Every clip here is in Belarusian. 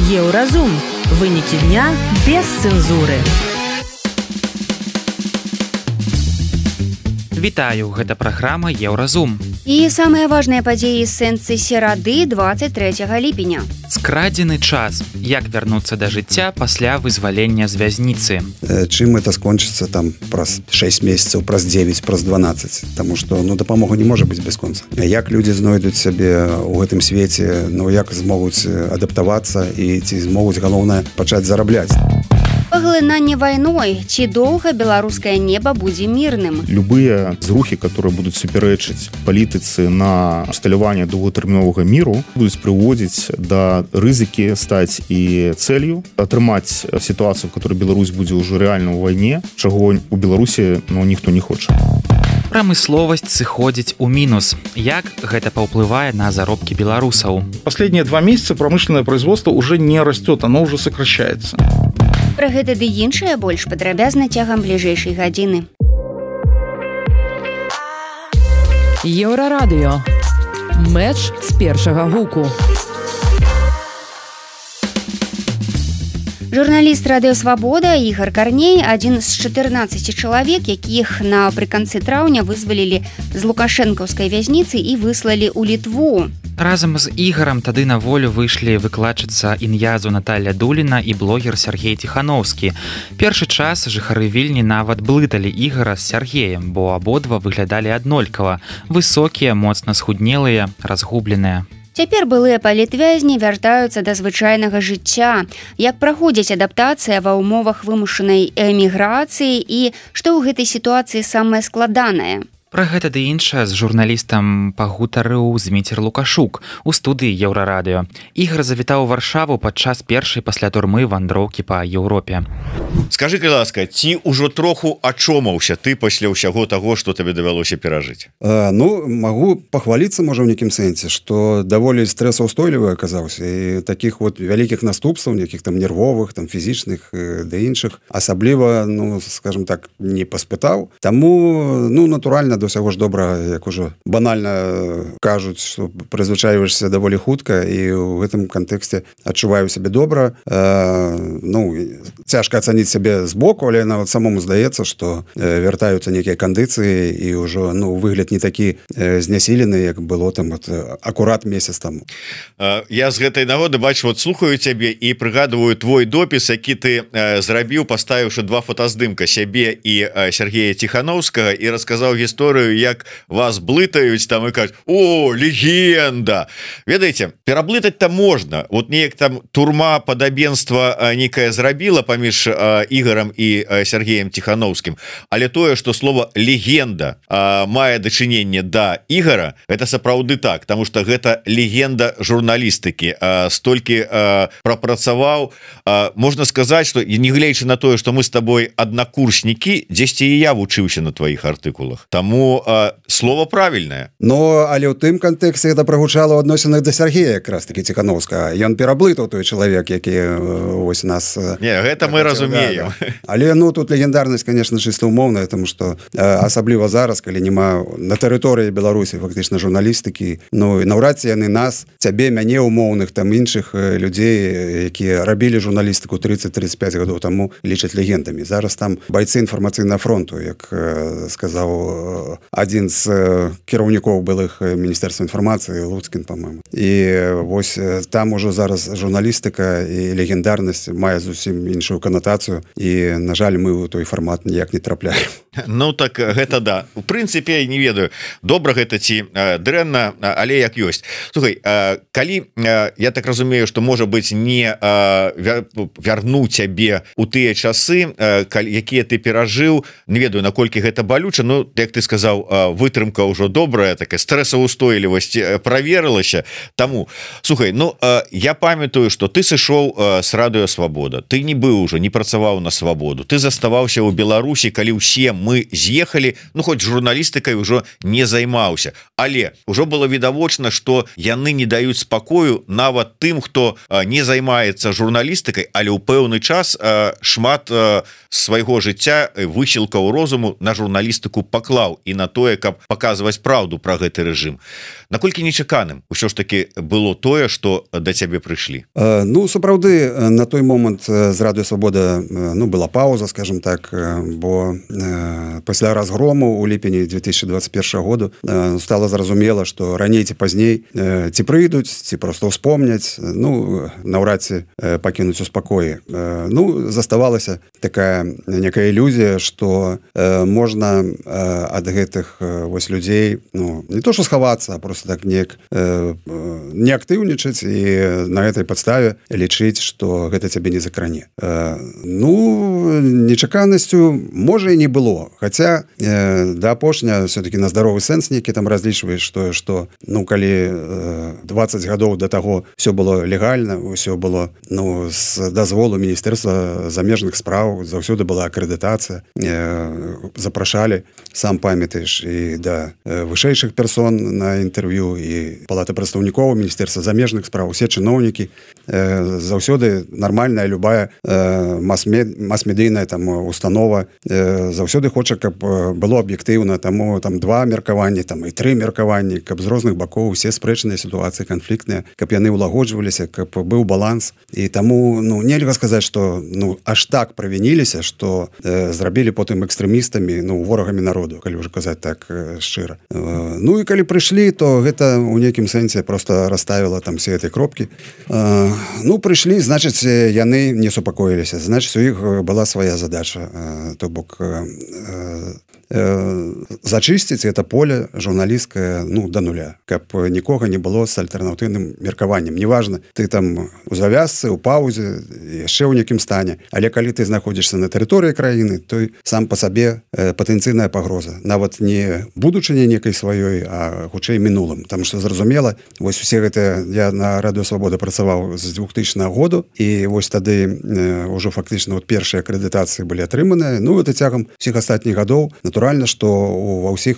Еўразум. Вынікі дня без цэнзуры. Вітаю, гэта праграма Еўразум. І самыя важныя падзеі з сэнсы серады 23 ліпеня. Скрадзены час. Як вярнуцца да жыцця пасля вызвалення з вязніцы. Чым это скончыцца там праз 6 месяцаў, праз 9, праз 12. Таму што дапамога не можа быць бясконца. Як людзі знойдуць сябе ў гэтым свеце, як змогуць адаптавацца і ці змогуць, галоўнае, пачаць зарабляць. Паглынанне вайной. Ці доўга беларускае неба будзе мірным? Любыя зрухі, которые будуць супярэчыць палітыцы на усталяванне доўгатэрміновага міру, будуць прыводзіць да рызыкі стаць і цэлью, атрымаць сітуацыю, в которой Беларусь будзе ўжо рэальна ў вайне, чаго у Беларусі ніхто не хоча. Прамысловасць сыходзіць у мінус. Як гэта паўплывае на заробкі беларусаў? Последние 2 месяца промышленное производство уже не растет, оно уже сокращается. Пра гэта ды іншае больш падрабязна цягам бліжэйшай гадзіны. Еўрарадыё. Мэч з першага гуку. Журналіст радыё «Свабода» Ігар Карней, адзін з 14 чалавек, якіх напрыканцы траўня вызвалілі з лукашэнкаўскай вязніцы і выслалі ў Літву. Разам з Ігарам тады на волю выйшлі выкладчыца ін'язу Наталля Дуліна і блогер Сергей Тихановскі. Першы час жыхары Вільні нават блыталі Ігара з Сергеем, бо абодва выглядалі аднолькава. Высокія, моцна схуднелыя, разгубленыя. Цяпер былыя палітвязні вяртаюцца да звычайнага жыцця. Як праходзіць адаптацыя ва ўмовах вымушанай эміграцыі і што ў гэтай сітуацыі самае складанае? Пра гэта ды іншае з журналістам пагутарыў Зміцер Лукашук у студыі Еўрарадыё. Ігар завітаў у Варшаву падчас першай пасля турмы вандроўкі па Еўропе. Скажы, калі ласка, ці ўжо троху ачомаўся ты пасля ўсяго таго, што табе давялося перажыць? Магу пахваліцца, можа, ў нейкім сэнсе, што даволі стрэсаўстойлівы аказаўся і такіх вялікіх наступстваў, нейкіх там нервовых, там фізічных ды іншых, асабліва, скажем так, не паспытаў. Таму, натуральна, до ўсяго ж добра, як ужо банальна кажуць, што прызвычайваешся даволі хутка і ў гэтым кантэксце адчуваю сябе добра. Цяжка ацаніць сябе збоку, але нават самому здаецца, што вяртаюцца нейкія кандыцыі і ўжо выгляд не такі знясілены, як было там акурат месяц таму. Я з гэтай нагоды бачу, слухаю цябе і прыгадываю твой допіс, які ты зрабіў, паставіўшы 2 фотаздымка сябе і Сергея Тихановскага і расказаў гісторыю, як вас блытаюць там і кажуць: «О, легенда!» Ведаеце, пераблытаць там можна. Неяк там турма падабенства некае зрабіла паміж Ігарам і Сергеем Тихановскім, але тое, што слово «легенда» мае дачыненне да Ігара, гэта сапраўды так, таму што гэта легенда журналістыкі. Столькі прапрацаваў, можна сказаць, што нягледзячы на тое, што мы з табой аднакурснікі, дзесьці і я вучыўся на тваіх артыкулах. Таму слово правільнае. Але ў тым кантэксце гэта прагучала ў адносінах да Сергея якраз такі Тихановскага. Ён пераблытаў той чалавек, які нас... Не, гэта мы разумеем. Але тут легендарнасць, конечно, чыста ўмоўная, тому што асабліва зараз, калі няма на тэрыторыі Беларусі фактычна журналістыкі, наўрад ці яны нас, цябе, мяне умоўных, там іншых людзей, якія рабілі журналістыку 30-35 гадоў таму, лічаць легендамі. Зараз там байцы інфармацыйнага фронту, як сказаў адзін з кіраўнікоў былых міністэрства інфармацыі, Луцкін, па-мойму. І вось там ужо зараз журналістыка і легендарнасць мае зусім іншую канатацыю, і, на жаль, мы ў той фармат ніяк не трапляем. Так гэта да. У прынцыпе, не ведаю, добра гэта ці дрэнна, але як ёсць. Слухай, калі, я так разумею, што, можа быць, не вярну цябе ў тыя часы, якія ты перажыў, не ведаю, наколькі гэта балюча, як ты сказаў, вытрымка ўжо добрая, такая стрэсаўстойлівасць праверылася. Таму, слухай, я памятаю, што ты сышоў з радыё «Свабода». Ты не быў ужо, не працаваў на «Свабоду». Ты заставаўся ў Беларусі, калі ўсе мы з'ехалі, ну хоць журналістыкай ужо не займаўся, але ўжо было відавочна, што яны не даюць спакою нават тым, хто не займаецца журналістыкай, але ў пэўны час шмат свайго жыцця высілкаў розуму на журналістыку паклаў і на тое, каб паказваць праўду пра гэты рэжым. Наколькі нечаканым ўсё ж таки было тое, што да цябе прыйшлі? Ну, сапраўды, на той момант з Радыё Свабода была пауза, скажем так, бо пасля разгрому у ліпені 2021 году стало зразумела, што раней ці пазней ці прыйдуць, ці проста ўспомняць, наўрад ці пакінуць у спакоі. Заставалася такая некая ілюзія, што можна ад гэтых вось людзей не то што схавацца, а просто так не актыўнічаць і на гэтай падставе лічыць, што гэта цябе не закране. Нечаканасцю можа і не было, хаця да апошня все-таки на здаровы сэнс нейкі там разлічваеш тое, што калі 20 гадоў да таго все было легальна, ўсё было з дазволу Міністэрства замежных спраў, заўсёды была акрэдытацыя, запрашалі, сам памятаеш, і да вышэйшых персон на інтэрв'ю, і палата прадстаўнікоў Міністэрства замежных спраў, усе чыноўнікі, заўсёды нармальная любая мас-медыйная там установа заўсёды хоча, каб было аб'ектыўна, таму там 2 меркаванні, там і 3 меркаванні, каб з розных бакоў усе спрэчныя сітуацыі канфліктныя, каб яны ўлагоджваліся, каб быў баланс. І таму нельга сказаць, што аж так правініліся, што зрабілі потым экстрэмістамі, ворагамі народу, калі ўжо казаць так шчыра. І калі прыйшлі, то гэта ў нейкім сэнсе просто расставіла там все этой кропкі. Прыйшлі, значыць, яны не супакоіліся, значыць, у іх была свая задача, то бок зачысціць это поле журналісцкае да нуля, каб нікога не было з альтэрнатыўным меркаваннем. Неважна, ты там у завязцы, у паўзе, яшчэ ў нейкім стане, але калі ты знаходзішся на тэрыторыі краіны, то сам па сабе патэнцыйная пагроза, нават не будучыня некай сваёй, а хутчэй мінулым. Таму што зразумела, вось усе гэтыя, я на Радыё Свабода працаваў з 2000 году, і вось тады ўжо фактычна першыя акрэдытацыі былі атрыманыя. Это цягам усіх астатніх гадоў. Натуральна, што ва ўсіх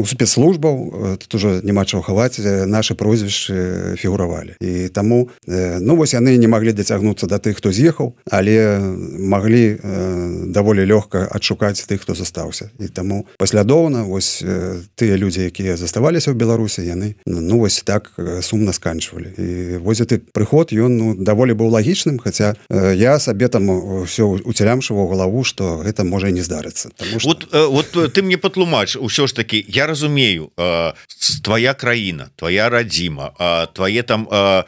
спецслужбаў, тут ужо няма чаго хаваць, нашы прозвішчы фігуравалі. І таму вось яны не маглі дацягнуцца да тых, хто з'ехаў, але маглі даволі лёгка адшукаць тых, хто застаўся. І таму паслядоўна вось тыя людзі, якія заставаліся ў Беларусі, яны вось так сумна сканчвалі. І вось гэты прыход, ён даволі быў лагічным, хаця я сабе там ўсё уцялямшыў у галаву, што гэта можа і не здарыцца. Вот ты мне патлумач, усё ж таки, я разумею, твоя краіна, твоя радзіма, твае там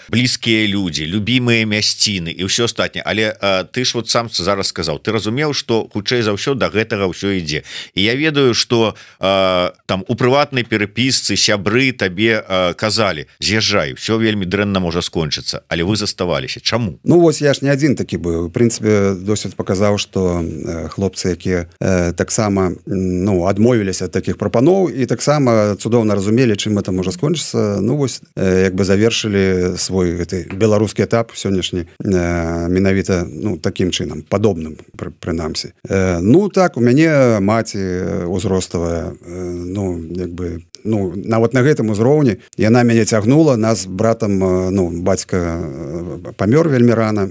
блізкія людзі, любімыя мясціны і ўсё астатняе, але ты ж вот сам зараз сказаў, ты разумеў, што хутчэй за ўсё да гэтага ўсё ідзе. І я ведаю, што там у прыватнай перапісцы сябры табе казалі, з'язджай, все вельмі дрэнна можа скончыцца, але вы заставаліся. Чаму? Вось я ж не адзін такі быў. У прынцыпе, досвед паказаў, што хлопцы, якія таксама адмовіліся ад такіх прапаноў і таксама цудоўна разумелі, чым это можа скончыцца, вось як бы завершылі свой гэты беларускі этап сённяшні менавіта такім чынам, падобным прынамсі. Так, у мяне маці ўзроставая, як бы нават на гэтым узроўні яна мяне цягнула, нас братам, бацька памёр вельмі рана,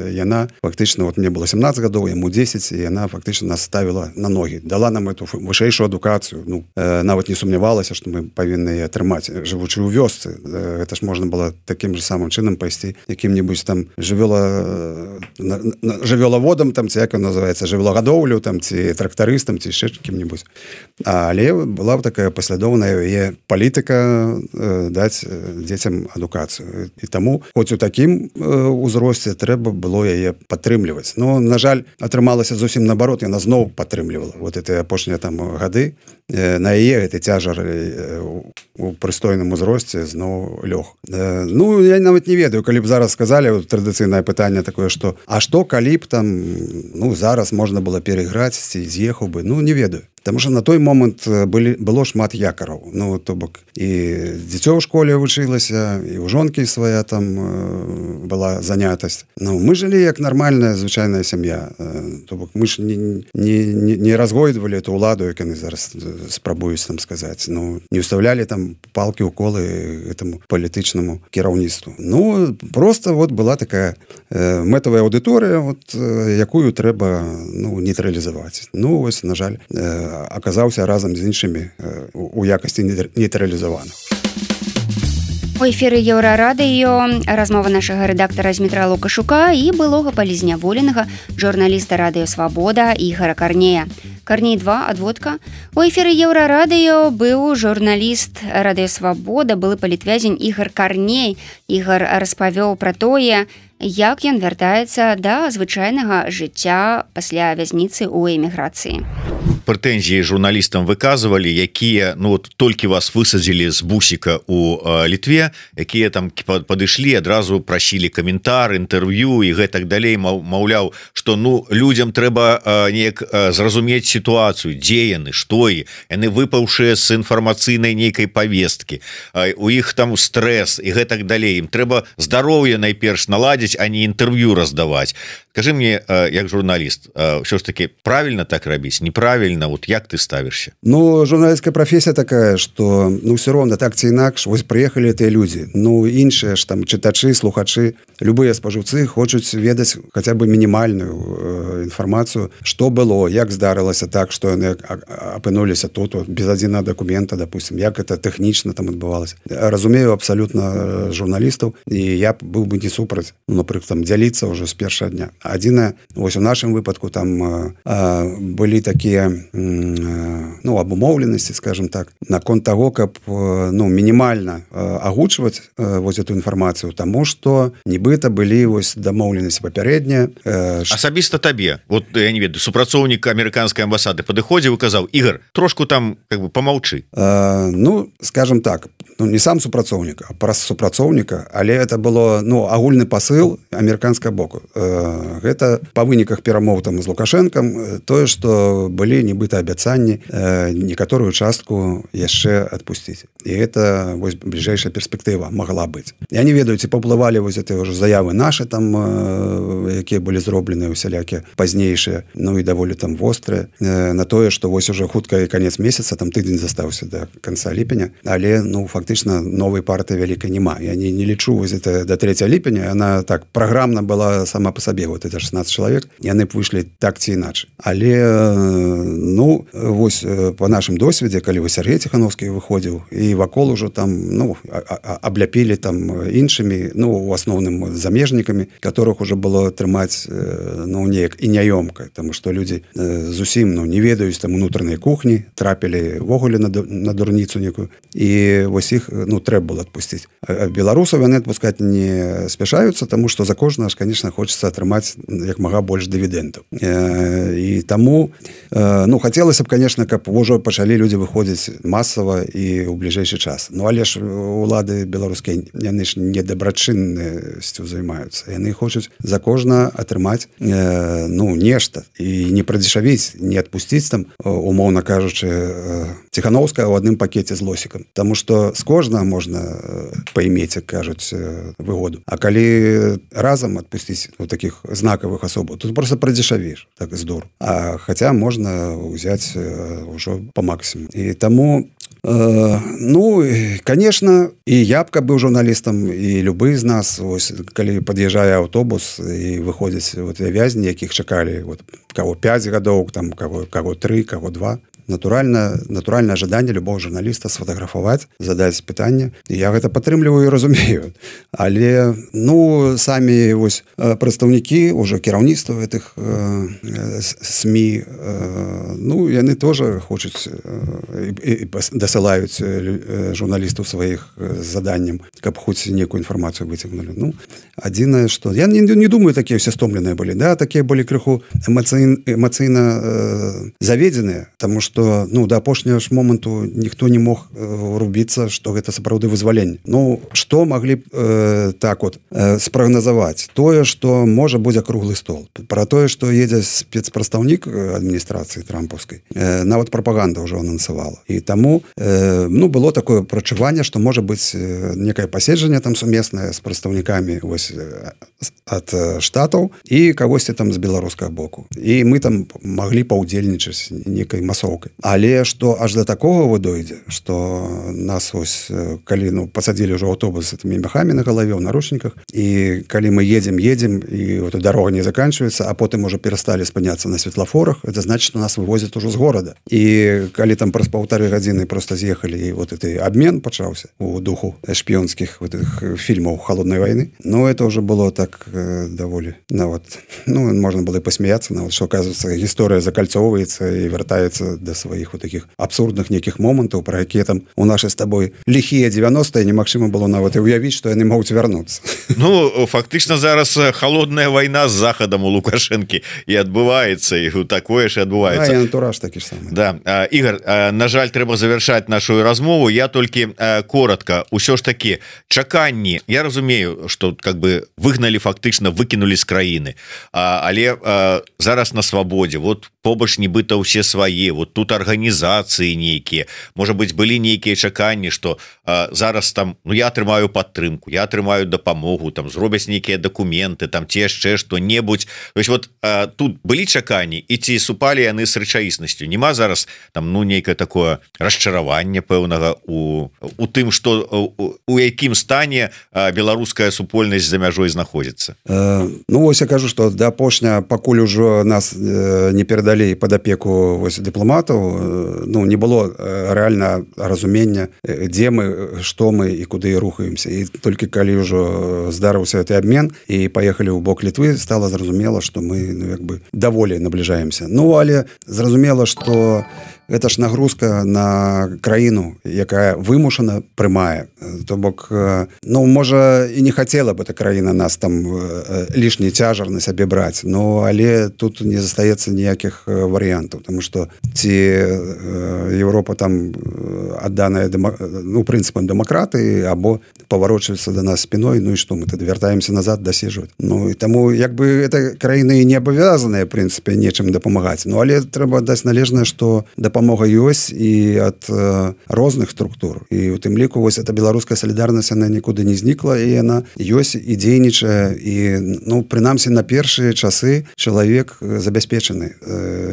яна фактычна, мне было 17 гадоў, яму 10, і яна фактычна нас ставіла на ногі, дала нам эту вышэйшую адукацыю, нават не сумнявалася, што мы павінны атрымаць, жывучы ў вёсцы. Гэта ж можна было такім же самым чынам пайсці якім-небудзь там жывёлаводам, там ці як ён называецца, жывёлагадоўлю, там ці трактарыстам, ці яшчэ кім-небудзь. Але была такая паслядоўная яе палітыка даць дзецям адукацыю. І таму, хоць у такім узросце трэба было яе падтрымліваць. На жаль, атрымалася зусім наоборот, яна зноў падтрымлівала. Вот эти апошнія там гады на яе гэты цяжар у прыстойным узросце зноў лёг. Я нават не ведаю, калі б зараз сказалі, традыцыйнае пытанне такое, што а што калі б там зараз можна было перайграць ці з'ехаў бы, не ведаю. Потому что на той момант было шмат якораў. Ну, то бок і дзіцё ў школе вучылася, і ў жонкі свая там была занятасць. Ну, мы жылі як нармальная звычайная сям'я. То бок мы ж не разгойдвалі эту ўладу, як яны зараз спрабуюць там сказаць. Ну, не ўставлялі там палкі ў колы этому палітычнаму кіраўніцтву. Ну, просто вот была такая мэтавая аўдыторыя, вот, якую трэба нейтралізаваць. Ну, вось, на жаль, аказаўся разам з іншымі у якасці нейтралізаваных. У эфіры Еўрарадыё размова нашага рэдактара Змітра Лукашука і былога палізняволенага журналіста Радыё Свабода Ігара Карнея. Карней 2, адводка. У эфіры Еўрарадыё быў журналіст Радыё Свабода, былы палітвязень Ігар Карней. Ігар распавёў пра тое, як ён вяртаецца да звычайнага жыцця пасля вязніцы ў эміграцыі. Прэтэнзіі журналістам выказвалі, якія толькі вас высадзілі з бусіка у Літве, якія там падышлі, адразу прасілі каментар, інтэрв'ю і гэтак далей, маўляў, што людзям трэба неяк зразумець сітуацыю, дзе яны, што яны выпаўшыя з інфармацыйнай нейкай павесткі, у іх там стрэс і гэтак далей, ім трэба здароўе найперш наладзіць, а не інтэрв'ю раздаваць. Скажи мне, як журналіст, ўсё ж таки правильно так рабіць, неправильно, вот як ты ставишься? Ну, журналистская профессия такая, что, все равно так ці інакш, вось приехали эти люди, іншыя ж там читачи, слухачи, любые споживцы хочуць ведаць хотя бы минимальную информацию, что было, як здарылася так, что яны апынуліся тут, без адзінага документа, допустим, як это тэхнічна там адбывалася. Разумею абсолютно журналистов, и я был бы не супраць, напрыклад, там дзяліцца уже с першага дня. Адзінае, вось у нашым выпадку там былі такія абумоўленасці, скажем так, наконт таго, каб мінімальна агучваць вось эту інфармацыю, таму што нібыта былі вось дамоўленасці папярэднія. Асабіста табе, вот я не ведаю, супрацоўнік амерыканскай амбасады падыходзіў і казаў: Ігар, трошку там как бы помаўчы. Скажем так, не сам супрацоўнік, а праз супрацоўніка, але это было агульны пасыл амерыканскага боку. Гэта па выніках перамоў там з Лукашэнкам тое, што былі нібыта абяцанні некаторую частку яшчэ адпусціць. І гэта вось бліжэйшая перспектыва магла быць. Я не ведаю, ці паўплывалі вось гэтыя ўжо заявы нашы там, якія былі зробленыя усялякія пазнейшыя, і даволі там вострыя, на тое, што вось уже хутка і канец месяца, там тыдзень застаўся да канца ліпеня, але фактычна новай партыі вялікай няма. Я не лічу вось это да 3 ліпеня, яна так праграмна была сама па сабе, вот это 16 чалавек, яны б выйшлі так ці іначай. Але вось по нашым досведзе, калі вы Сергей Тихановскі выходзіў, і вакол ужо там абляпілі там іншымі, у асноўным замежнікамі, которых уже было трымаць неяк і няёмка, тому што людзі зусім не ведаюць там унутранай кухні, трапілі ввогуле на дурніцу некую, і вось іх трэба было адпусціць. Беларусаў яны адпускаць не спяшаюцца, тому што за кожнага ж, конечно, хочется атрымаць як мага больш дывідэнтаў. І таму хацелася б, конечно, каб ўжо пачалі людзі выходзіць масава і ў бліжэйшы час. Але ж улады беларускія, яны ж не дабрачыннасцю займаюцца. Яны хочуць за кожна атрымаць нешта і не прадзешавіць, не адпусціць там, умоўна кажучы, Тихановская ў адным пакеце з лосікам. Таму што з кожнага можна паімець, як кажуць, выгоду. А калі разам адпусціць такіх знакавых асобаў, тут просто прадзешавіш, так здор. А хаця можна ўзяць ўжо по максимуму. І таму конечно, і я б быў журналістам, і любы з нас, ось, калі пад'язджае аўтобус і выходзяць вязні, якіх чакалі каго 5 гадоў, там каго 3, каго 2, натуральнае жаданне любого журналіста сфотаграфаваць, задаць пытанне. Я гэта падтрымліваю і разумею. Але самі вось прадстаўнікі ўжо кіраўніцтва гэтых СМІ, яны тоже хочуць і дасылаюць журналістаў сваіх заданням, каб хоць некую інфармацыю выцягнулі. Адзінае, што я не думаю, такія ўсе стомленыя былі, такія былі крыху эмацыйна заведзеныя, таму што что ну до апошняга ж моманту ніхто не мог рубіцца, што гэта сапраўды вызваленне. Ну што маглі так вот спрагназаваць? Тое, што можа будзе круглы стол. Пра тое, што едзе спецпрадстаўнік адміністрацыі трампаўскай, нават прапаганда ўжо анансавала. І таму ну было такое прачуванне, што можа быць некае паседжанне там сумеснае з прадстаўнікамі вось ад штатаў і кагосьці там з беларускага боку. І мы там маглі паўдзельнічаць некай масоўкай. Але што аж да такога дойдзе, што нас ось калі ну пасадзілі ўжо аўтобус з гэтымі мяхамі на галаве ў наручніках, і калі мы едзем і вот дарога не заканчивается, а потым уже перасталі спыняцца на светлафорах, это значит, что нас вывозят уже з горада. І калі там праз 1,5 гадзіны просто з'ехалі, і вот этот обмен пачаўся у духу шпіёнскіх вот этих фільмаў холодной войны, но это уже было так даволі нават, ну можно было и посмеяться, нават, что оказывается гісторыя закальцоўваецца і вяртаецца до сваіх вот таких абсурдных неких момантаў, про якія там у нашай з табой лихія 90-е немагчыма было нават і уявіць, што яны могуць вярнуцца. Ну фактычна зараз холодная война з захадам у Лукашэнкі і адбываецца, і такое ж адбываецца. А, антураж такі ж самы. Да. Ігор, на жаль, трэба завяршаць нашу размову. Я толькі коротко, усё ж таки чаканні, я разумею, што как бы выгналі, фактычна выкінулі з краіны, але зараз на свабодзе, вот побач нібыта ўсе свае, вот тут арганізацыі нейкія, можа быць былі нейкія чаканні, што зараз там, ну я атрымаю падтрымку, я атрымаю дапамогу, там зробяць нейкія дакументы, там ці яшчэ што-небудзь. То есть вот тут былі чаканні, і ці супалі яны з рэчаіснасцю? Нема зараз там ну нейкае такое расчараванне пэўнага у тым, што у якім стане беларуская супольнасць за мяжой знаходзіцца? Ну вось я кажу, што да апошня, пакуль ужо нас не перадалі пад апеку вось дыпламатаў, ну не было рэальна разумення, дзе мы, што мы і куды рухаемся. І толькі калі ўжо здарыўся гэты абмен і паехалі ў бок Літвы, стала зразумела, што мы ну як бы даволі набліжаемся. Ну але зразумела, што гэта ж нагрузка на краіну, якая вымушана прымае. То бок, ну, можа, і не хацела бы эта краіна нас там лішні цяжар на сябе браць, но але тут не застаецца ніякіх варыянтаў, тому што ці Европа там адданая ну, прынцыпам дэмакратыі, або паварочваецца да нас спіной, ну і што, мы тады вяртаемся назад даседжваць. Ну і таму, як бы, эта краіны не абавязаныя, в прынцыпе, нечым дапамагаць. Ну, але трэба даць належнае, што дапамога ёсць і ад розных структур. І у тым ліку вось эта беларуская салідарнасць, она нікуды не знікла, і яна ёсць і дзейнічае, і ну прынамсі на першыя часы чалавек забяспечаны.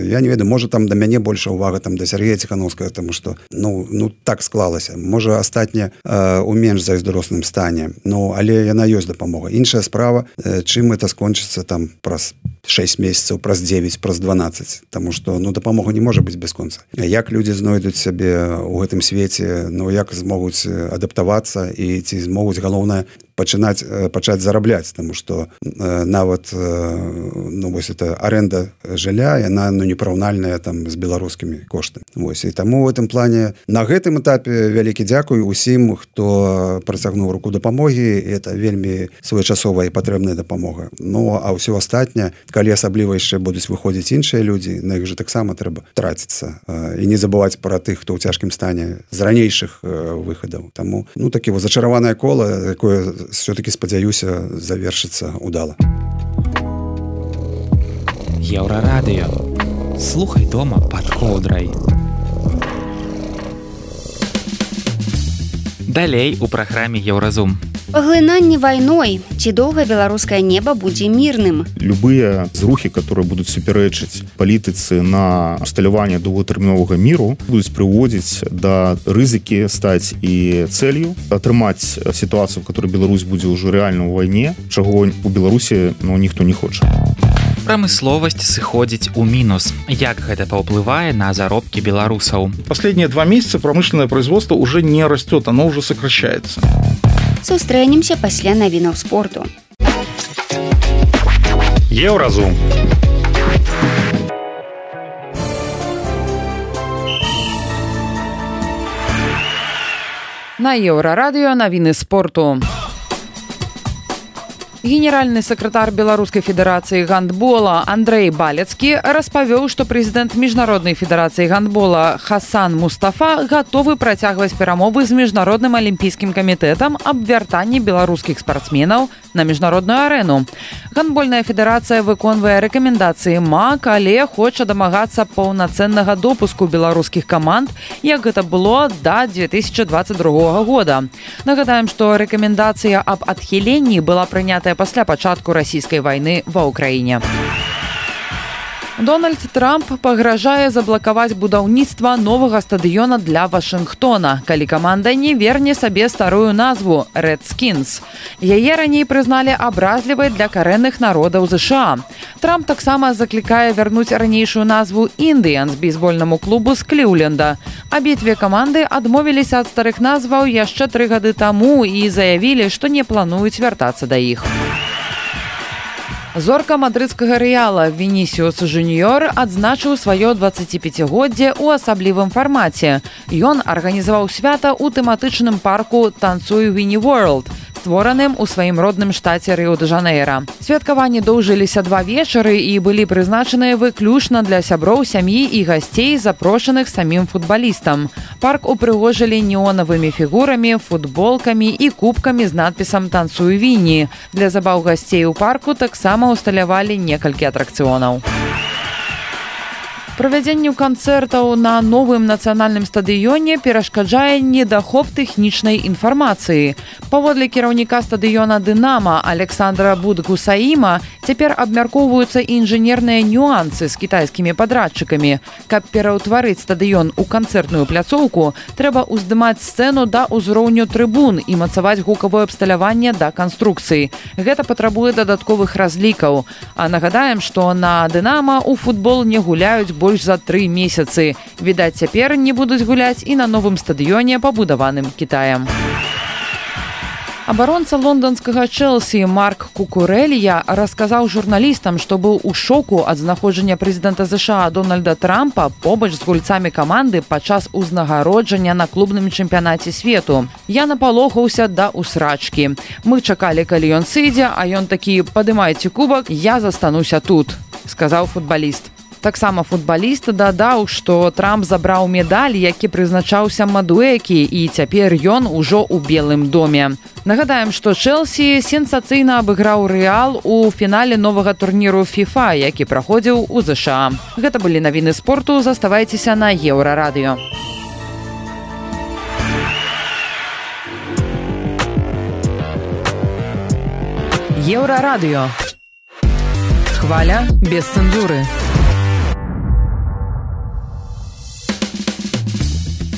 Я не ведаю, можа там да мяне больше увага там да Сергея Ціхановскага, тому што ну так склалася. Можа астатняе у менш зайздросным стане, ну але яна ёсць дапамога. Іншая справа, чым это скончыцца там праз 6 месяцаў, праз 9, праз 12, тому што ну дапамога не можа быць бясконца. Як людзі знойдуць сябе ў гэтым свеце, ну як змогуць адаптавацца і ці змогуць, галоўнае, пачаць зарабляць, тому што нават ну вось эта аренда жылля, яна ну непараўнальная там з беларускімі коштамі. Вось і таму ў гэтым плане на гэтым этапе вялікі дзякуй усім, хто працягнуў руку дапамогі, это вельмі своечасовая і патрэбная дапамога. Ну а ўсё астатняе, калі асабліва яшчэ будуць выходзіць іншыя людзі, на іх жа таксама трэба траціцца і не забываць пра тых, хто ў цяжкім стане з ранейшых выхадаў. Таму ну такі вот зачараванае кола, якое все-таки, спадзяюся, завершыцца удала. Еўрарадыё. Слухай дома пад коўдрай. Далей у праграме Еўразум. Паглынанне вайной. Ці доўга беларускае неба будзе мірным? Любыя зрухі, которые будуць супярэчыць палітыцы на усталяванне доўгатэрміновага міру, будуць прыводзіць да рызыкі стаць і цэлью, атрымаць сітуацыю, в которой Беларусь будзе ўжо рэальна ў вайне, чаго у Беларусі ну, ніхто не хоча. Прамысловасць сыходзіць у мінус. Як гэта паўплывае на заробкі беларусаў? Последние 2 месяца промышленное производство уже не растет, оно уже сокращается. Сустрэнемся пасля навінаў спорту. Еўразум. На Еўрарадыё навіны спорту. Генеральны сакратар Беларускай федэрацыі гандбола Андрэй Балецкі распавёў, што прэзідэнт Міжнароднай федэрацыі гандбола Хасан Мустафа гатовы працягваць перамовы з Міжнародным алімпійскім камітэтам аб вяртанні беларускіх спартсменаў на міжнародную арэну. Гандбольная федэрацыя выконвае рэкамендацыі МАК, але хоча дамагацца паўнацэннага допуску беларускіх каманд, як гэта было да 2022 года. Нагадаем, што рэкамендацыя аб адхіленні была прынятая пасля пачатку расійскай вайны ва ўкраіне. Дональд Трамп пагражае заблакаваць будаўніцтва новага стадыёна для Вашынгтона, калі каманда не верне сабе старую назву «Редскінс». Яе раней прызналі абразлівай для карэнных народаў ЗША. Трамп таксама заклікае вярнуць ранейшую назву «Індыянс» бейсбольнаму клубу з Кліўленда. Абедзве каманды адмовіліся ад старых назваў яшчэ 3 гады таму і заявілі, што не плануюць вяртацца да іх. Зорка мадрыдскага Рэала Вінісіус Жуніёр адзначыў сваё 25годдзе ў асаблівым фармаце. Ён арганізаваў свята ў тэматычным парку «Танцуй Віні Ворлд», створаным у сваім родным штаце Рыо-де-Жанейра. Святкаванні доўжыліся 2 вечары і былі прызначаныя выключна для сяброў сям'і і гасцей, запрошаных самім футбалістам. Парк упрыгожылі неонавымі фігурамі, футболкамі і кубкамі з надпісам «Танцуй Віні». Для забаў гасцей у парку таксама усталявалі некалькі атракцыёнаў. Правядзенню канцэртаў на новым нацыянальным стадыёне перашкаджае недахоп тэхнічнай інфармацыі. Паводле кіраўніка стадыёна «Дынама» Александра Будгусаіма цяпер абмяркоўваюцца інжынерныя нюансы з кітайскімі падрадчыкамі. Каб пераўтварыць стадыён у канцэртную пляцоўку, трэба ўздымаць сцэну да ўзроўню трыбун і мацаваць гукавое абсталяванне да канструкцыі. Гэта патрабуе дадатковых разлікаў. А нагадаем, што на «Дынама» у футбол не гуляюць больш за 3 месяцы. Відаць, цяпер не будуць гуляць і на новым стадыёне, пабудаваным Кітаем. Абаронца лонданскага Чэлсі Марк Кукурэлья расказаў журналістам, што быў у шоку ад знаходжання прэзідэнта ЗША Дональда Трампа побач з гульцамі каманды падчас узнагароджання на клубным чэмпіянаце свету. Я напалохаўся да усрачкі. Мы чакалі, калі ён сыдзе, а ён такі: «Падымайце кубак, я застануся тут», сказаў футбаліст. Таксама футбаліст дадаў, што Трамп забраў медаль, які прызначаўся Мадуэкі, і цяпер ён ужо ў Белым доме. Нагадаем, што Чэлсі сенсацыйна абыграў Рэал у фінале новага турніру FIFA, які праходзіў у ЗША. Гэта былі навіны спорту, заставайцеся на Еўрарадыё. Еўрарадыё. Хваля без цэнзуры.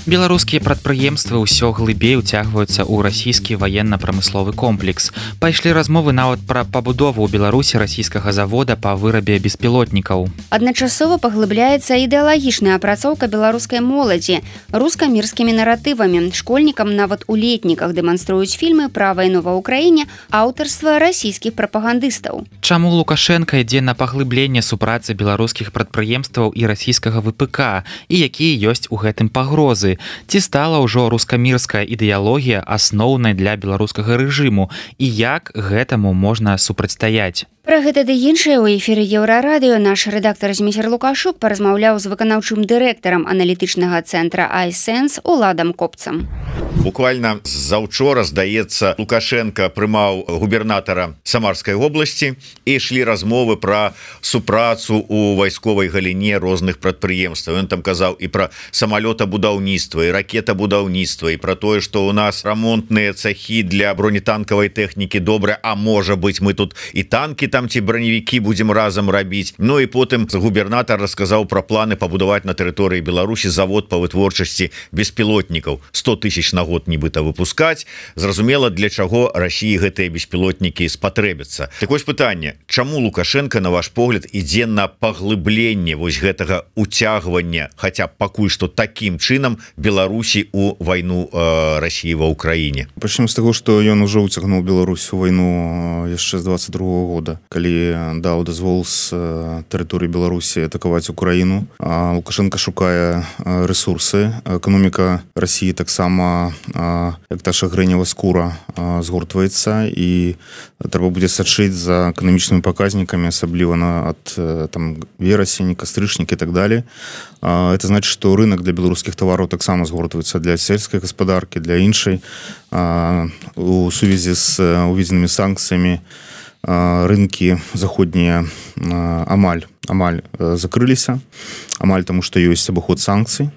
Беларускія прадпрыемствы ўсё глыбей уцягваюцца ў расійскі ваенна-прамысловы комплекс. Пайшлі размовы нават пра пабудову ў Беларусі расійскага завода па вырабе беспілотнікаў. Адначасова паглыбляецца ідэалагічная апрацоўка беларускай моладзі руска-мірскімі наратывамі. Школьнікам нават у летніках дэманструюць фільмы пра вайну ва ўкраіне аўтарства расійскіх прапагандыстаў. Чаму Лукашенка ідзе на паглыбленне супрацы беларускіх прадпрыемстваў і расійскага ВПК, і якія ёсць у гэтым пагрозы? Ці стала ўжо рускамірская ідэалогія асноўнай для беларускага рэжыму і як гэтаму можна супрацьстаяць? Пра гэта ды іншае ў эфіры Еўрарадыё наш рэдактар Зміцер Лукашук паразмаўляў з выканаўчым дырэктарам аналітычнага цэнтра iSense Уладам Копцам. Буквально заўчора, здаецца, Лукашенко прымаў губернатара Самарскай вобласці і ішлі размовы пра супрацу у вайсковай галіне розных прадпрыемстваў. Ён там казаў і пра самалётабудаўніцтва, і ракетабудаўніцтва, і пра тое, што ў нас рамонтныя цахі для бронетанкавай тэхнікі добрыя, а можа быць, мы тут і танкі там ці броневікі будзем разам рабіць. Ну і потым губернатар расказаў пра планы пабудаваць на тэрыторыі Беларусі завод па вытворчасці беспілотнікаў. 100 000 на год нібыта выпускаць. Зразумела, для чаго Расіі гэтыя беспілотнікі спатрэбяцца. Так вось пытанне: чаму Лукашенко, на ваш погляд, ідзе на паглыбленне вось гэтага уцягвання, хаця б пакуль што такім чынам, Беларусі у вайну России ва Украіне? Пачнем з таго, што ён ужо ўцягнуў Беларусь у вайну яшчэ з 22-го года, калі даў дазвол з тэрыторыі Беларусі атакаваць Украіну. Лукашенко шукае ресурсы. Эканоміка России таксама, як таша грэнева скура, згортваецца, і трэба будзе сачыць за эканамічнымі паказнікамі, асабліва ад верасень, кастрычнік і так далее. Это значит, что рынок для белорусских товаров таксама згортваецца для сельской гаспадаркі, для іншай. У сувязі з уведзенымі санкцыямі рынкі заходнія амаль закрыліся, амаль таму, што ёсць абыход санкцый.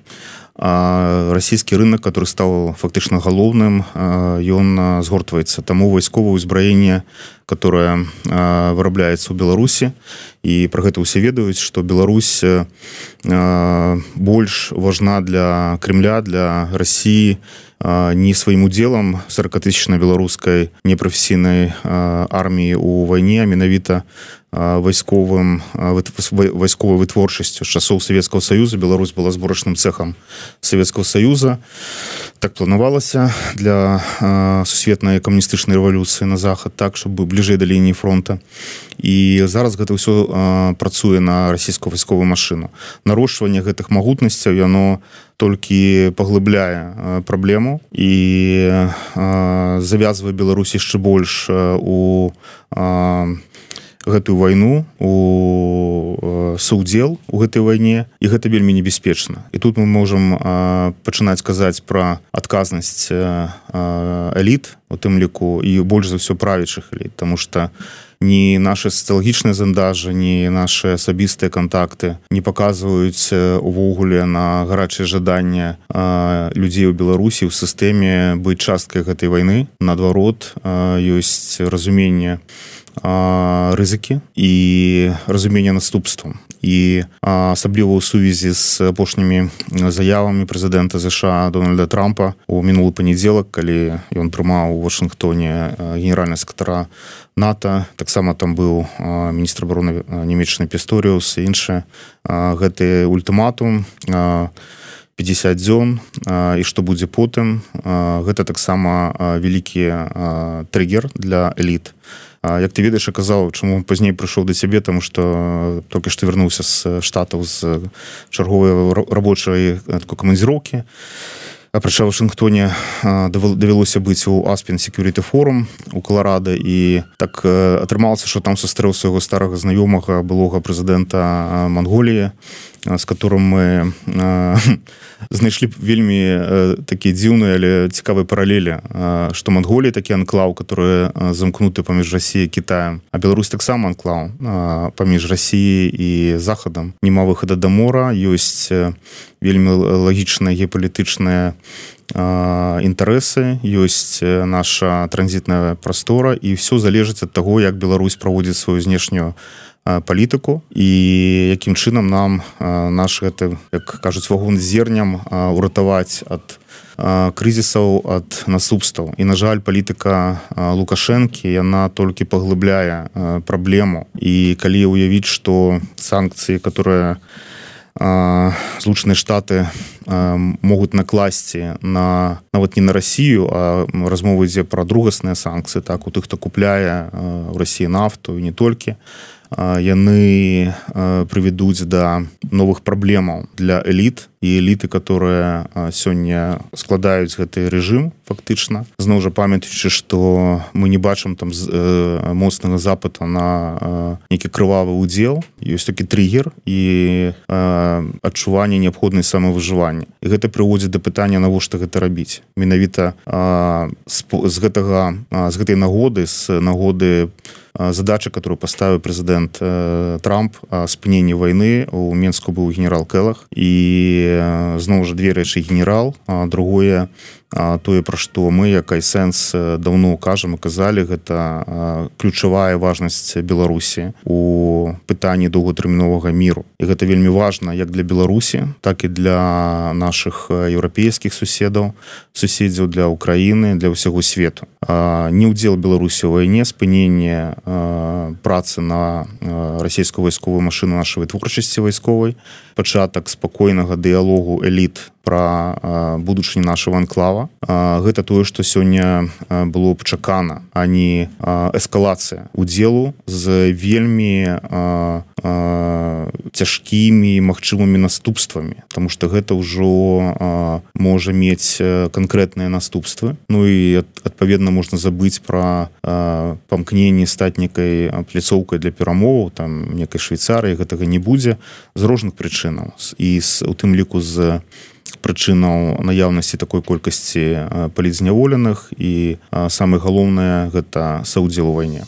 Расійскі рынок, который стал фактычна галоўным, ён згортваецца. Таму вайсковае ўзбраенне, которое вырабляецца ў Беларусі, і пра гэта ўсе ведаюць, што Беларусь больш важна для Кремля, для России не сваім удзелам 40-тысячнай беларускай непрафесійнай арміі ў вайне, а менавіта вайсковай вытворчасцю. З часоў Савецкага Саюза Беларусь была зборачным цэхам Савецкага Саюза. Так планавалася для сусветнай камуністычнай рэвалюцыі на захад, так, чтобы бліжэй да лініі фронта. І зараз гэта ўсё працуе на расійскую вайсковую машыну. Нарошчванне гэтых магутнасцяў, яно толькі паглыбляе праблему і завязвае Беларусь яшчэ больш у гэтую вайну, у саўдзел у гэтай вайне, і гэта вельмі небяспечна. І тут мы можам пачынаць казаць пра адказнасць эліт, у тым ліку, і больш за ўсё правячых эліт, таму што ні нашы сацыялагічныя зандажы, ні нашы асабістыя кантакты не паказваюць увогуле на гарачае жаданне людзей у Беларусі ў сістэме быць часткай гэтай вайны. Наадварот, ёсць разуменне рызыкі і разуменне наступстваў. І асабліва ў сувязі з апошнімі заявамі прэзідэнта США Дональда Трампа у мінулы панядзелак, калі ён прымаў у Вашынгтоне генеральнага сакратара НАТО, таксама там быў міністр абароны нямецкай Пісторіус і іншыя. Гэты ультыматум 50 дзён, і што будзе потым, гэта таксама вялікі триггер для эліт. Як ты ведаеш, я казаў, чаму пазней прыйшоў да цябе, таму што толькі што вярнуўся з Штатаў з чарговай рабочай такой камандзіроўкі. Апрача Вашынгтоне давялося быць у Aspen Security Forum у Каларада, і так атрымалася, што там сустрэў свайго старага знаёмага, былога прэзідэнта Манголіі, з которым мы знайшлі вельмі такія дзіўныя, але цікавыя паралелі, што Манголія такі анклаў, который замкнуты паміж Расіяй і Кітаем, а Беларусь таксама анклаў паміж Расіяй і Захадам. Нема выхада да мора, ёсць вельмі лагічныя геапалітычныя інтарэсы, ёсць наша транзітная прастора, і ўсё залежыць ад таго, як Беларусь праводзіць сваю знешнюю палітыку і якім чынам нам наш гэты, як кажуць, вагон з зерням уратаваць ад крызісаў, ад наступстваў. І, на жаль, палітыка Лукашэнкі, яна толькі паглыбляе праблему. І калі уявіць, што санкцыі, которые Злучаныя Штаты могуць накласці нават не на Расію, а размова ідзе пра другасныя санкцыі, так, у тых, хто купляе ў Расіі нафту і не толькі, яны прывядуць да новых праблемаў для эліт, і эліты, которые сёння складаюць гэты рэжым фактычна. Зноў жа памятаючы, што мы не бачым там моцнага запыта на нейкі крывавы ўдзел, ёсць такі триггер і адчуванне неабходнай самавыжывання. І гэта прыводзіць да пытання, навошта гэта рабіць. Менавіта з гэтай нагоды, з нагоды задача, которую поставил президент Трамп, спынення войны. У Менску быў генерал Келах, і зноў жа две рэчы: генерал, другое тое, пра што мы, як Айсэнс, даўно кажам і казалі, гэта ключавая важнасць Беларусі у пытанні доўгатэрміновага міру. І гэта вельмі важна як для Беларусі, так і для нашых еўрапейскіх суседзяў, для Украіны, для ўсяго свету. Не ўдзел Беларусі ў вайне, спыненне працы на расійскую вайсковую машыну нашай вытворчасці вайсковай, пачатак спакойнага дыялогу эліт пра будучыню нашего анклава. Гэта тое, што сёння было пачакана, а не эскалацыя удзелу з вельмі цяжкімі магчымымі наступствамі, таму што гэта ўжо можа мець канкрэтныя наступствы. Ну і адпаведна можна забыць пра памкненне стаць некай пляцоўкай для перамоваў, там некай Швейцарыі, гэтага не будзе з розных прычынаў, і у тым ліку з прычынаў наяўнасці такой колькасці палітзняволеных, і самае галоўнае гэта саўдзел у вайне.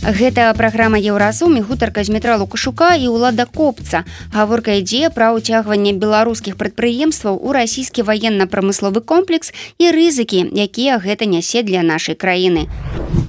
Гэта праграма Еўразум і гутарка Змітра Лукашука і Улада Копца. Гаворка ідзе пра ўцягванне беларускіх прадпрыемстваў у расійскі ваенна-прамысловы комплекс і рызыкі, якія гэта нясе для нашай краіны.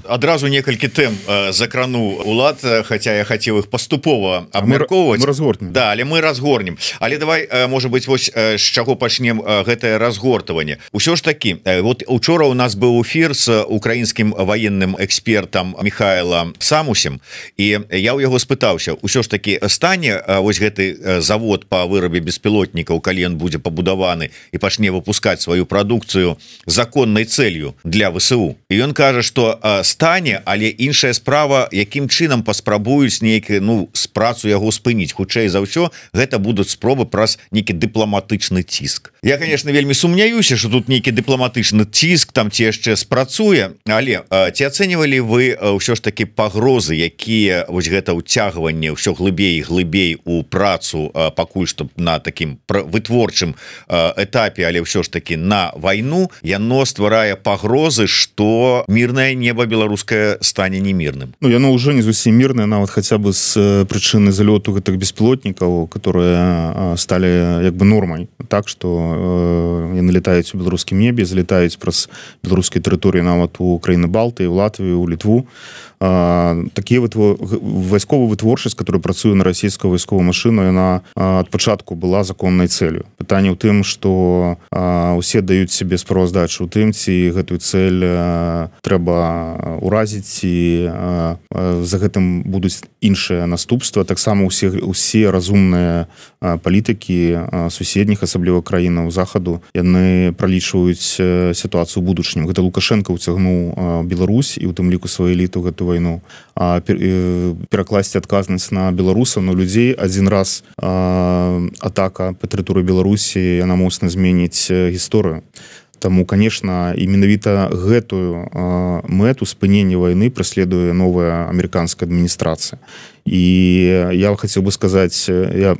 Адразу некалькі тэм закрануў Улад, хаця я хацеў іх паступова абмяркоўваць. Мы разгорнем. Да, але мы разгорнем. Але давай, можа быць, вось з чаго пачнем гэтае разгортаванне. Усё ж такі, вот учора у нас быў эфір з украінскім ваенным экспертам Михайлом Самусем, і я ў яго спытаўся, усё ж такі стане вось гэты завод па вырабе беспілотнікаў, калі ён будзе пабудаваны і пачне выпускаць сваю прадукцыю законнай цэлью для ВСУ. І ён кажа, што стане, але іншая справа, якім чынам паспрабуюць нейкі, з працу яго спыніць. Хутчэй за ўсё, гэта будуць спробы праз нейкі дыпламатычны ціск. Я, конечно, вельмі сумняюся, што тут нейкі дыпламатычны ціск там ці яшчэ спрацуе, але ці ацэньвалі вы ўсё ж такі пагрозы, якія вось гэта ўцягванне ўсё глыбей і глыбей у працу пакуль што на такім вытворчым этапе, але ўсё ж такі на вайну, яно стварае пагрозы, што мірнае неба беларускае стане немірным. Яно ўжо не зусім мірнае, нават хаця бы з прычыны залёту гэтых беспілотнікаў, которые сталі як бы нормай. Так, што яны летаюць у беларускім небе, залетаюць праз беларускія тэрыторыі нават у краіны Балтыі, у Латвію, у Літву. Такія вайсковая вытворчасць, которая працуе на расійскую вайсковую машыну, яна ад пачатку была законнай цэлю. Пытанне ў тым, што усе даюць себе справаздачу ў тым, ці гэтую цэль трэба уразіць, і за гэтым будуць іншыя наступствы. Таксама усе разумныя палітыкі суседніх, асабліва краінаў захаду, яны пралічваюць сітуацыю ў будучыню. Гэта Лукашенко ўцягнуў Беларусь і ў тым ліку сваю эліту гэту вайну, перакласці адказнасць на беларусаў, на людзей. Адзін раз атака па тэрыторыі Беларусі, яна моцна зменіць гісторыю. Таму, конечно, і менавіта гэтую мэту спынення вайны праследуе новая амерыканская адміністрацыя. І я хацеў бы сказаць,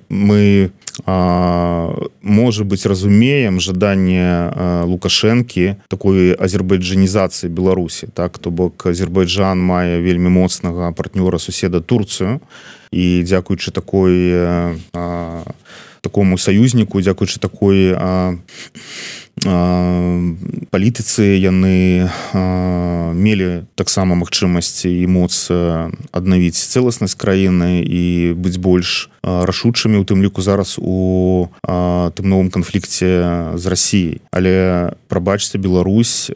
мы, можа быць, разумеем жаданне Лукашэнкі такой азербайджанізацыі Беларусі. Так, то бок Азербайджан мае вельмі моцнага партнёра, суседа Турцыю, і дзякуючы такому саюзніку, дзякуючы такой палітыцы, яны мелі таксама магчымасць і моц аднавіць цэласнасць краіны і быць больш рашучымі, у тым ліку зараз у тым новым канфлікце з Расіяй. Але, прабачце, Беларусь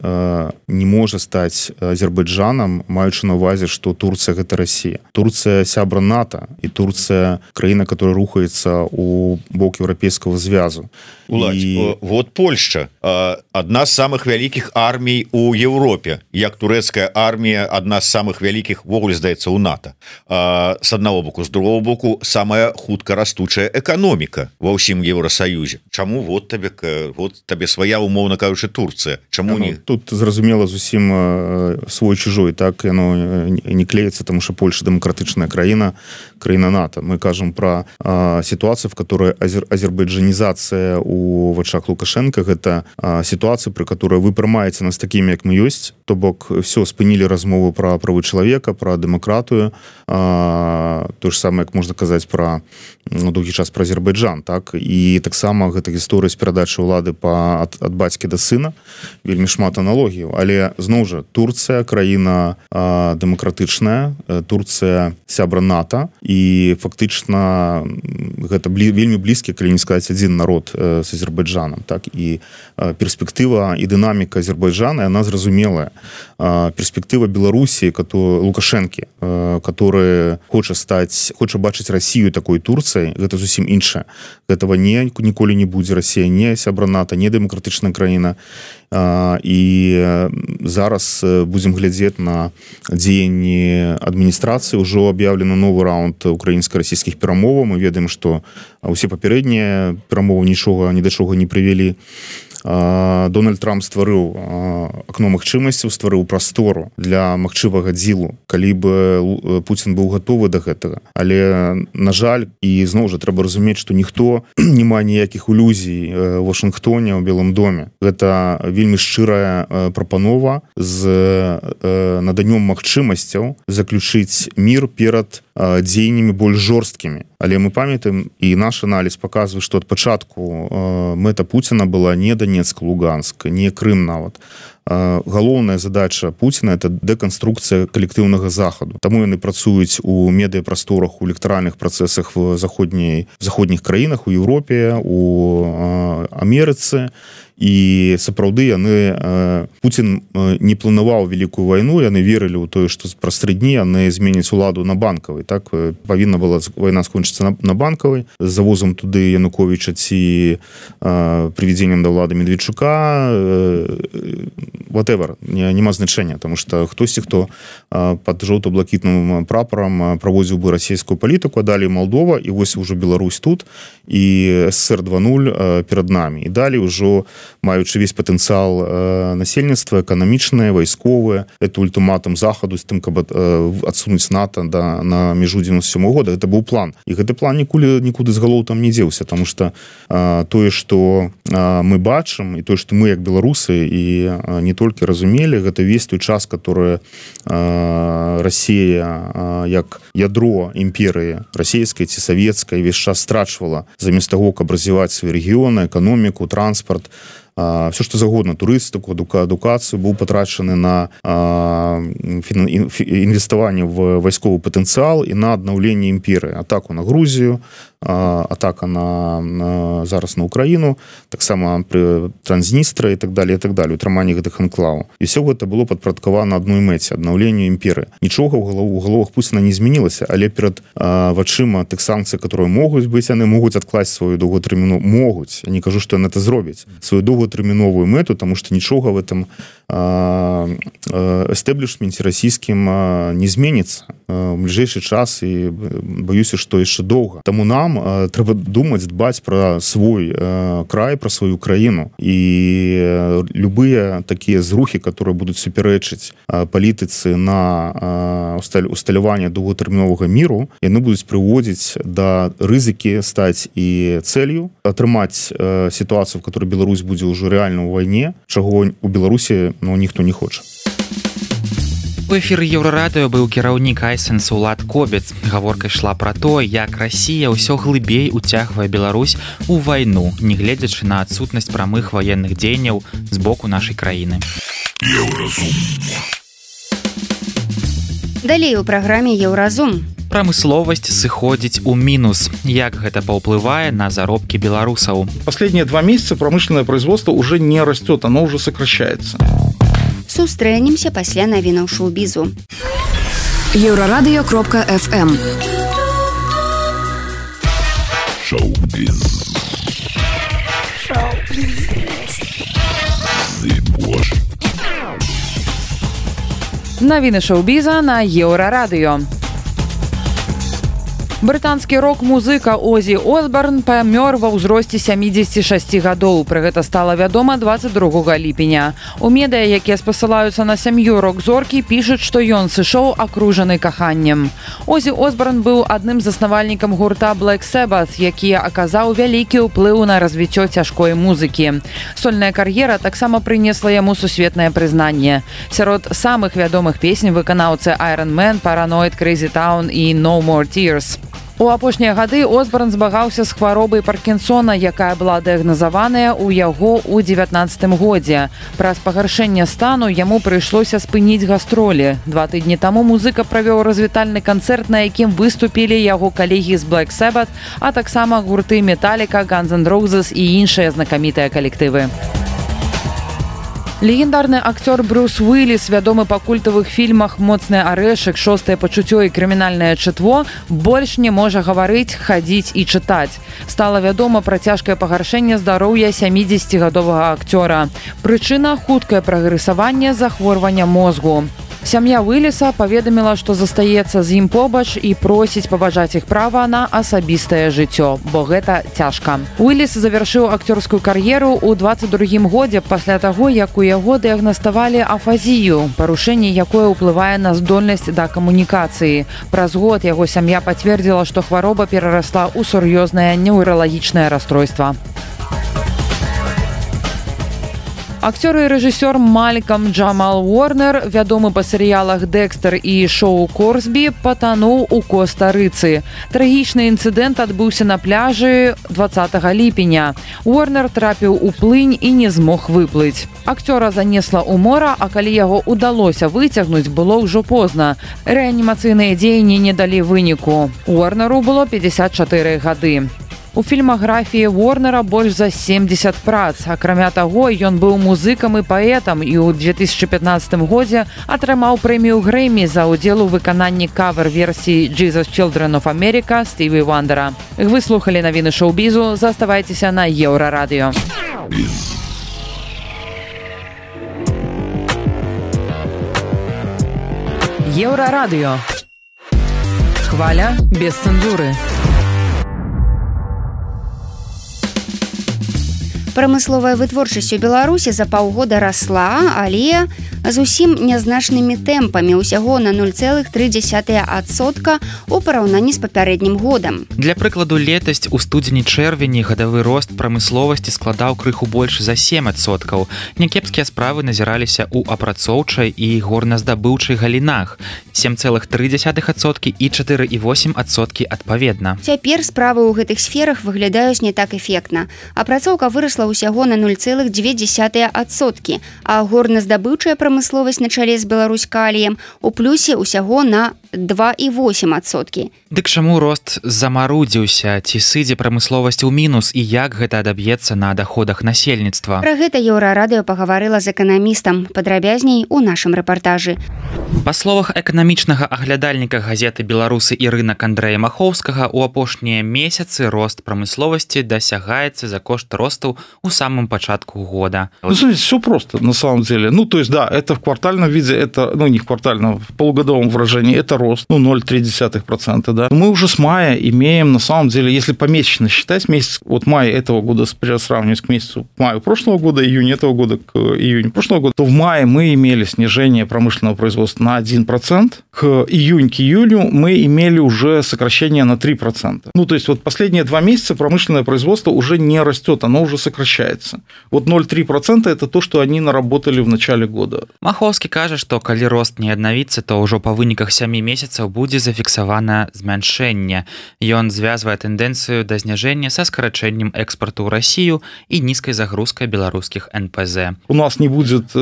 не можа стаць Азербайджанам, маючы на ўвазе, што Турцыя — гэта Расія. Турцыя — сябра НАТО, і Турцыя — краіна, которая рухаецца у бок еўрапейскага звязу. Уладзь, вот Польшча адна з самых вялікіх армій у Еўропе, як турэцкая армія адна з самых вялікіх, ввогуле, здаецца, у НАТО. З аднаго боку, з другого боку, самая хутка растучая эканоміка ва ўсім Еўрасаюзе. Чаму вот табе свая, умоўна кажучы, Турцыя? Чаму не? Тут зразумела зусім свой чужой, так яно не клеится, тому что Польша демократычная краіна, краіна НАТО. Мы кажам пра ситуацию, в которой азербайджанізацыя у вачах Лукашенко — гэта ситуация, при которой вы прымаеце нас такими, як мы ёсць, то бок все, спынілі размову пра правы чалавека, пра дэмакратыю, то ж самае, як можна казаць пра доўгі час пра Азербайджан, так, і таксама гэта гісторыя з перадачы ўлады ад бацькі да сына, вельмі шмат аналогіяў. Але зноў жа, Турцыя — краіна дэмакратычная, Турцыя — сябра НАТО, і фактычна гэта вельмі блізкі, калі не сказаць, адзін народ з Азербайджанам, так, і перспектыва і дынаміка Азербайджана, она зразумелая. Перспектыва Беларусі, Лукашэнкі, который хоча бачыць Россию такой Турцыяй, гэта зусім іншае. Гэтага ніколі не будзе. Россия не сябра НАТО, не дэмакратычная краіна. І зараз будзем глядзець на дзеянні адміністрацыі. Ужо аб'яўлена новы раунд украінска-расійскіх перамоваў. Мы ведаем, што ўсе папярэднія перамовы нічога ні да чога не прывялі. Дональд Трамп стварыў акно магчымасцяў, стварыў прастору для магчымага дзілу, калі бы Пуцін быў гатовы да гэтага. Але, на жаль, і зноў жа трэба разумець, што ніхто не мае ніякіх ілюзій у Вашынгтоне, у Белым доме. Гэта вельмі шчырая прапанова з наданнем магчымасцяў заключыць мір перад дзеяннямі больш жорсткімі. Але мы памятаем, і наш аналіз паказвае, што ад пачатку мэта Пуціна была не Донецк, Луганск, не Крым нават. Галоўная задача Пуціна – это дэканструкцыя калектыўнага захаду. Таму яны працуюць у медыяпрасторах, у электаральных працэсах в заходніх краінах, у Еўропе, у Амерыцы. І сапраўды Пуцін не планаваў вялікую вайну, яны верылі ў тое, што праз 3 дні яны зменяць уладу на Банкавай. Так павінна была вайна скончыцца на Банкавай з завозам туды Януковіча ці прывядзеннем да ўлады Медведчука, whatever, няма значэння, тому што хтосьці, хто пад жоўта-блакітным прапарам праводзіў бы расійскую палітыку, а далей Малдова, і вось ужо Беларусь тут, і СССР 2.0 перад намі. І далей ужо маючы весь патэнцыял насельніцтва, эканамічнае, вайсковае, это ультыматум захаду з тым, каб адсунуць НАТО на мяжу 97 года. Гэта быў план. І гэты план нікуды з галоў там не дзеўся, таму што тое, што мы бачым, і тое, што мы як беларусы і не толькі разумелі, гэта весь той час, который Россия як ядро імперыі расійскай ці савецкай весь час страчвала замест таго, каб развіваць свае рэгіёны, эканоміку, транспарт, все што загодна, турыстыку, адукацыю, быў патрачаны на інвеставанне в вайсковы патэнцыял і на аднаўленне імперыі, атаку на Грузію, атака зараз на Украіну, таксама пры Транзністра і так далее, утрыманне гэтых анклаваў. І все гэта было падпарадкавана адной мэце, аднаўленню імперыі. Нічога ў галовах Пуціна не змянілася, але перад вачыма тых санкцый, которые могуць быць, яны могуць адкласць сваю доўгатэрміновую, могуць, я не кажу, што яны это зробяць, сваю доўгатэрміновую мэту, таму што нічога в этом эстеблішменце расійскім не зменіцца у бліжэйшы час, і баюся, што яшчэ доўга. Таму нам трэба думаць, дбаць пра свой край, пра сваю краіну, і любыя такія зрухі, которые будуць супярэчыць палітыцы на усталяванне доўгатэрміновага міру, яны будуць прыводзіць да рызыкі стаць і цэлью, атрымаць сітуацыю, в которой Беларусь будзе ўжо рэальна ў вайне, чаго у Беларусі ніхто не хоча. У эфіры Еўрарадыё быў кіраўнік Айсенс Улад Кобец. Гаворка ішла пра то, як Расія ўсё глыбей уцягвае Беларусь у вайну, не гледзячы на адсутнасць прамых ваенных дзеянняў з боку нашай краіны. Далей у праграме Еўразум. Прамысловасць сыходзіць у мінус. Як гэта паўплывае на заробкі беларусаў? Последние 2 месяца промышленное производство уже не растет, оно уже сокращается. Сустрэнемся пасля навінаў шоу-бізу. Еўрарадыё.фм Шоу-біз. Навіны шоу-біза на Еўрарадыё. Брытанскі рок-музыка Озі Осборн памёр ва ўзросце 76 гадоў. Пра гэта стала вядома 22 ліпеня. У медыа, якія спасылаюцца на сям'ю рок-зоркі, пішуць, што ён сышоў акружаны каханнем. Озі Осборн быў адным з заснавальнікам гурта Black Sabbath, які аказаў вялікі ўплыў на развіццё цяжкой музыкі. Сольная кар'ера таксама прынесла яму сусветнае прызнанне. Сярод самых вядомых песень выканаўцы Iron Man, Paranoid, Crazy Town і No More Tears. У апошнія гады Осборн змагаўся з хваробай Паркінсона, якая была дыягназаваная ў яго ў 19 годзе. Праз пагаршэнне стану яму прыйшлося спыніць гастролі. 2 тыдні таму музыка правёў развітальны канцэрт, на якім выступілі яго калегі з Black Sabbath, а таксама гурты Metallica, Guns N' Roses і іншыя знакамітыя калектывы. Легендарны акцёр Брюс Уиллис, вядомы па культавых фільмах «Моцны арэшак», «Шостае пачуццё» і «Крымінальнае чытво», больш не можа гаварыць, хадзіць і чытаць. Стала вядома пра цяжкае пагаршэнне здароўя 70гадовага акцёра. Прычына – хуткае прагрэсаванне захворвання мозгу. Сям'я Уиллиса паведаміла, што застаецца з ім побач і просіць паважаць іх права на асабістае жыццё, бо гэта цяжка. Уиллис завяршыў акцёрскую кар'еру ў 22-м годзе пасля таго, як у яго дыягнаставалі афазію, парушэнне якое ўплывае на здольнасць да камунікацыі. Праз год яго сям'я пацвердзіла, што хвароба перарасла ў сур'ёзнае неўралагічнае расстройства. Акцёр і рэжысёр Малькам Джамал Уорнер, вядомы па серыялах «Дэкстер» і шоу «Корсбі», патануў у Коста-Рыцы. Трагічны інцыдэнт адбыўся на пляжы 20 ліпеня. Уорнер трапіў у плынь і не змог выплыць. Акцёра занесла ў мора, а калі яго ўдалося выцягнуць, было ўжо позна. Рэанімацыйныя дзеянні не далі выніку. Уорнеру было 54 гады. У фільмаграфіі Уорнера больш за 70 прац. Акрамя таго, ён быў музыкам і паэтам і ў 2015 годзе атрымаў прэмію Грэмі за ўдзел у выкананні кавер-версіі «Jesus Children of America» Стіві Вандера. Вы слухалі навіны шоу-бізу. Заставайцеся на Еўрарадыё. Еўрарадыё. Хваля без цэнзуры. Прамысловая вытворчасць у Беларусі за паўгода расла, але зусім нязначнымі тэмпамі, усяго на 0,3% у параўнанні з папярэднім годам. Для прыкладу, летась у студзені-чэрвені гадавы рост прамысловасці складаў крыху больш за 7%. Някепскія справы назіраліся ў апрацоўчай і горназдабыўчай галінах 7,3% і 4,8% адпаведна. Цяпер справы ў гэтых сферах выглядаюць не так эфектна. Апрацоўка вырасла ўсяго на 0,2%, а горназдабыўчая прамысловасць на чале з Беларусь-Каліем у плюсе ўсяго на 2,8%. Дык чаму рост замарудзіўся? Ці сыдзе прамысловасць у мінус і як гэта адаб'ецца на даходах насельніцтва? Пра гэта Еўрарадыё пагаварыла з эканамістам. Падрабязней у нашым рэпартажы. Па словах эканамічнага аглядальніка газеты «Беларусы» і рынак Андрэя Махоўскага, у апошнія месяцы рост прамысловасці дасягаецца за кошт росту у самом пачатку года. Знаете, все просто на самом деле. То есть, да, это в квартальном виде, это, не в квартальном, в полугодовом выражении, это рост, 0,3%, да. Мы уже с мая имеем, на самом деле, если помесячно считать, месяц, май этого года сравнивать к месяцу маю прошлого года, июнь этого года к июню прошлого года, то в мае мы имели снижение промышленного производства на 1%, к июню мы имели уже сокращение на 3%. То есть, последние 2 месяца промышленное производство уже не растет, оно уже сокращается. 0,3% это то, что они наработали в начале года. Махоўскі кажа, што калі рост не аднавіцца, то ўжо па выніках 7 месяцаў будзе зафіксавана змяншэнне. Ён звязвае тэндэнцыю да зніжэння са скарачэннем экспарту ў Расію і нізкай загрузкай беларускіх НПЗ. У нас не будет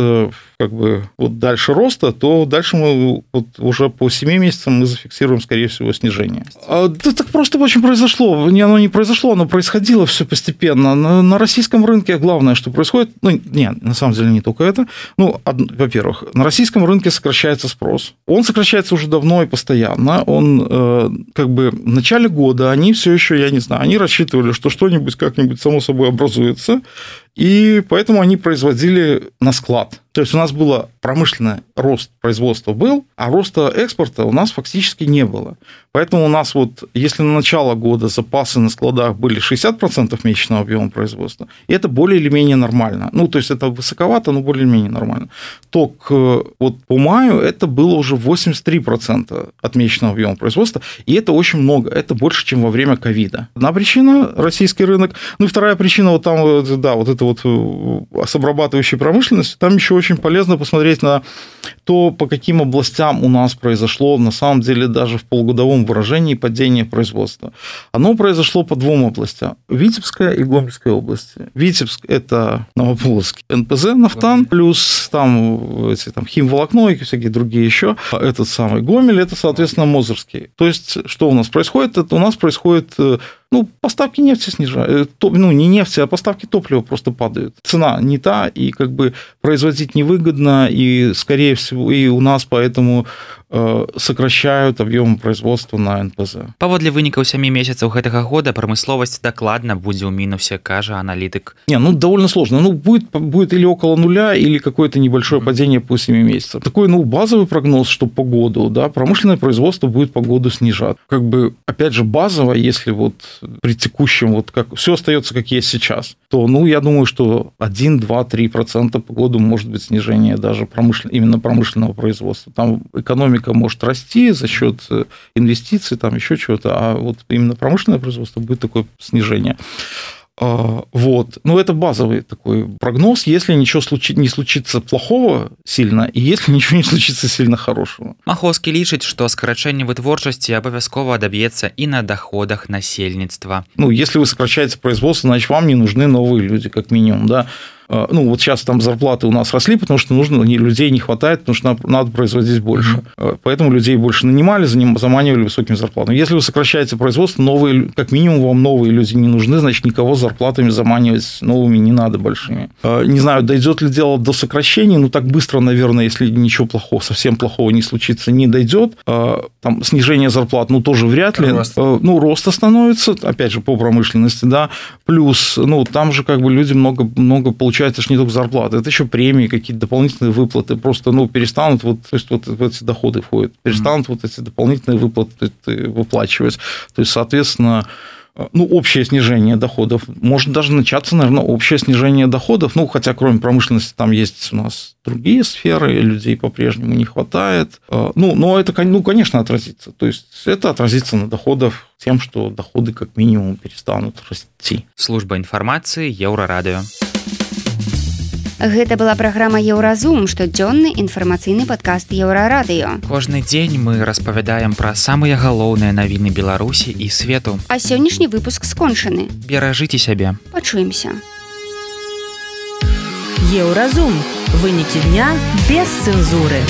дальше роста, то дальше мы уже по 7 месяцам мы зафиксируем, скорее всего, снижение. Да так просто очень произошло. Оно не произошло, оно происходило все постепенно. На российском рынке главное, что происходит, на самом деле не только это. Во-первых, на российском рынке сокращается спрос. Он сокращается уже давно и постоянно. Он в начале года они все еще, они рассчитывали, что что-нибудь как-нибудь само собой образуется. И поэтому они производили на склад. То есть у нас был промышленный рост производства был, а роста экспорта у нас фактически не было. Поэтому у нас если на начало года запасы на складах были 60% месячного объема производства, и это более или менее нормально. То есть это высоковато, но более или менее нормально. То по маю это было уже 83% от месячного объема производства, и это очень много, это больше, чем во время ковида. Одна причина – российский рынок. И вторая причина с обрабатывающей промышленностью, там еще очень полезно посмотреть на то, по каким областям у нас произошло, на самом деле, даже в полугодовом выражении падение производства. Оно произошло по 2 областям. Витебская и Гомельская области. Витебск – это Новополоцкий НПЗ, нафтан, плюс химволокно и всякие другие еще. Этот самый Гомель – это, соответственно, Мозырский. То есть, что у нас происходит? Это у нас происходит поставки нефти снижают. Не нефти, а поставки топлива просто падают. Цена не та, и как бы производить невыгодно, и, скорее всего, и у нас поэтому сокращают объем производства на НПЗ. Паводле вынікаў 7 месяцаў гэтага года прамысловасць дакладна будзе ў мінусе, кажа аналітык. Довольно сложно. Будет или около нуля, или какое-то небольшое падение по 7 месяцев. Такой, базовый прогноз, что по году, да, промышленное производство будет по году снижать. Как бы, опять же, базово, если вот при текущем, как все остается, как есть сейчас, то, я думаю, что 1, 2, 3% по году может быть снижение даже именно промышленного производства. Там экономика может расти за счет инвестиций, там еще чего-то, а вот именно промышленное производство будет такое снижение. Это базовый такой прогноз, если ничего не случится плохого сильно, и если ничего не случится сильно хорошего. Маховскі лічыць, што скарачэнне вытворчасці абавязкова адаб'ецца і на доходах насельніцтва. Если вы сокращаете производство, значит, вам не нужны новые люди, как минимум, да. Сейчас там зарплаты у нас росли, потому что людей не хватает, потому что надо производить больше. Поэтому людей больше нанимали, заманивали высокими зарплатами. Если вы сокращаете производство, как минимум вам новые люди не нужны, значит, никого с зарплатами заманивать новыми не надо большими. Не знаю, дойдет ли дело до сокращения, так быстро, наверное, если ничего плохого, совсем плохого не случится, не дойдет. Там снижение зарплат, тоже вряд ли. Рост становится, опять же, по промышленности, да. Плюс, там же как бы люди много получают. Это же не только зарплата, это еще премии, какие-то дополнительные выплаты. Просто, перестанут в эти доходы входят, перестанут эти дополнительные выплаты выплачивать. То есть, соответственно, общее снижение доходов. Может даже начаться, наверное, общее снижение доходов. Хотя, кроме промышленности, там есть у нас другие сферы, людей по-прежнему не хватает. Но это, конечно, отразится. То есть, это отразится на доходах тем, что доходы как минимум перестанут расти. Служба информации Еўрарадыё. Гэта была праграма Еўразум, штодзённы інфармацыйны падкаст Еўрарадыё. Кожны дзень мы распавядаем пра самыя галоўныя навіны Беларусі і свету. А сённяшні выпуск скончаны. Беражыце сябе. Пачуемся. Еўразум. Вынікі дня без цэнзуры.